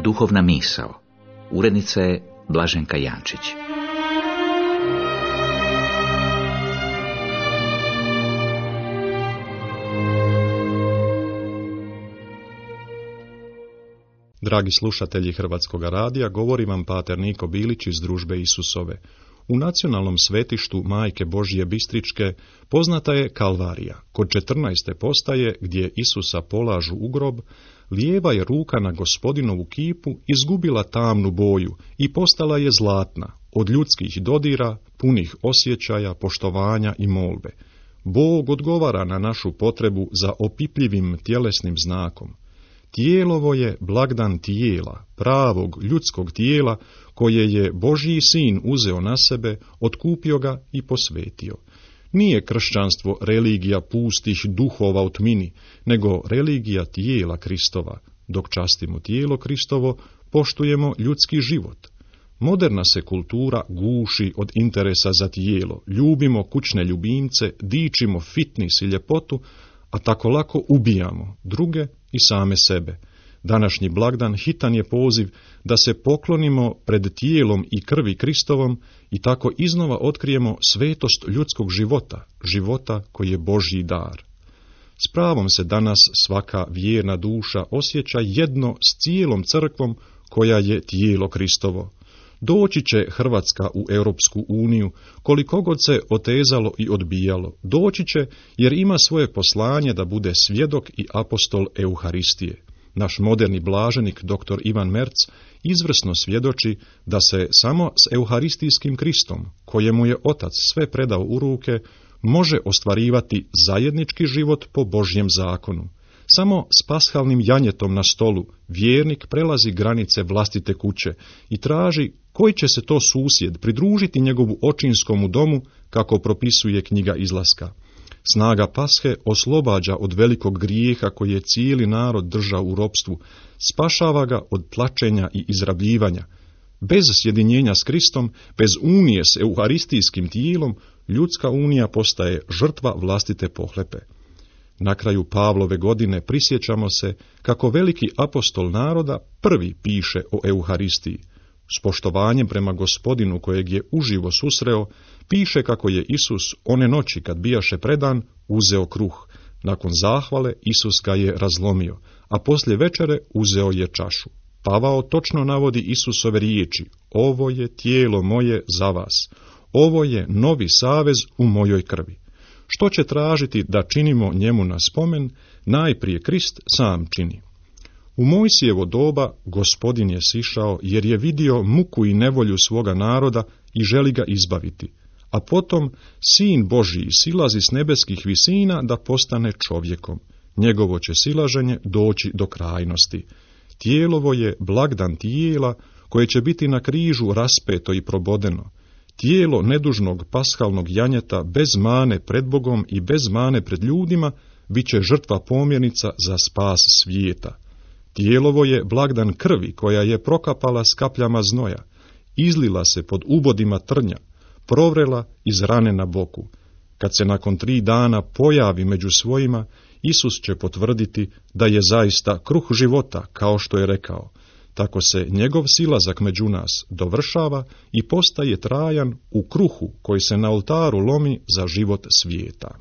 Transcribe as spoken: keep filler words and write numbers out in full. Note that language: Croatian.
Duhovna misao. Urednica je Blaženka Jančić. Dragi slušatelji Hrvatskog radija, govori vam pater Niko Bilić iz Družbe Isusove. U nacionalnom svetištu Majke Božje Bistričke poznata je Kalvarija. Kod četrnaeste postaje, gdje Isusa polažu u grob, lijeva je ruka na Gospodinovu kipu izgubila tamnu boju i postala je zlatna, od ljudskih dodira, punih osjećaja, poštovanja i molbe. Bog odgovara na našu potrebu za opipljivim tjelesnim znakom. Tijelovo je blagdan tijela, pravog ljudskog tijela, koje je Božji sin uzeo na sebe, otkupio ga i posvetio. Nije kršćanstvo religija pustih duhova u tmini, nego religija tijela Kristova. Dok častimo tijelo Kristovo, poštujemo ljudski život. Moderna se kultura guši od interesa za tijelo, ljubimo kućne ljubimce, dičimo fitness i ljepotu, a tako lako ubijamo druge i same sebe. Današnji blagdan hitan je poziv da se poklonimo pred tijelom i krvi Kristovom i tako iznova otkrijemo svetost ljudskog života, života koji je Božji dar. S pravom se danas svaka vjerna duša osjeća jedno s cijelom crkvom koja je tijelo Kristovo. Doći će Hrvatska u Europsku uniju, koliko god se otezalo i odbijalo. Doći će jer ima svoje poslanje da bude svjedok i apostol Euharistije. Naš moderni blaženik dr. Ivan Merc izvrsno svjedoči da se samo s euharistijskim Kristom, kojemu je Otac sve predao u ruke, može ostvarivati zajednički život po Božjem zakonu. Samo s pashalnim janjetom na stolu vjernik prelazi granice vlastite kuće i traži koji će se to susjed pridružiti njegovu očinskomu domu, kako propisuje knjiga Izlaska. Snaga pashe oslobađa od velikog grijeha koji je cijeli narod držao u ropstvu, spašava ga od tlačenja i izrabljivanja. Bez sjedinjenja s Kristom, bez unije s euharistijskim tijelom, ljudska unija postaje žrtva vlastite pohlepe. Na kraju Pavlove godine prisjećamo se kako veliki apostol naroda prvi piše o Euharistiji. S poštovanjem prema Gospodinu kojeg je uživo susreo, piše kako je Isus one noći kad bijaše predan uzeo kruh. Nakon zahvale Isus ga je razlomio, a poslije večere uzeo je čašu. Pavao točno navodi Isusove riječi: ovo je tijelo moje za vas, ovo je novi savez u mojoj krvi. Što će tražiti da činimo njemu na spomen, najprije Krist sam čini. U Mojsijevo doba Gospodin je sišao jer je vidio muku i nevolju svoga naroda i želi ga izbaviti, a potom Sin Božji silazi s nebeskih visina da postane čovjekom. Njegovo će silaženje doći do krajnosti. Tijelovo je blagdan tijela koje će biti na križu raspeto i probodeno. Tijelo nedužnog pashalnog janjeta bez mane pred Bogom i bez mane pred ljudima bit će žrtva pomjernica za spas svijeta. Tijelovo je blagdan krvi koja je prokapala s kapljama znoja, izlila se pod ubodima trnja, provrela iz rane na boku. Kad se nakon tri dana pojavi među svojima, Isus će potvrditi da je zaista kruh života, kao što je rekao. Tako se njegov silazak među nas dovršava i postaje trajan u kruhu koji se na oltaru lomi za život svijeta.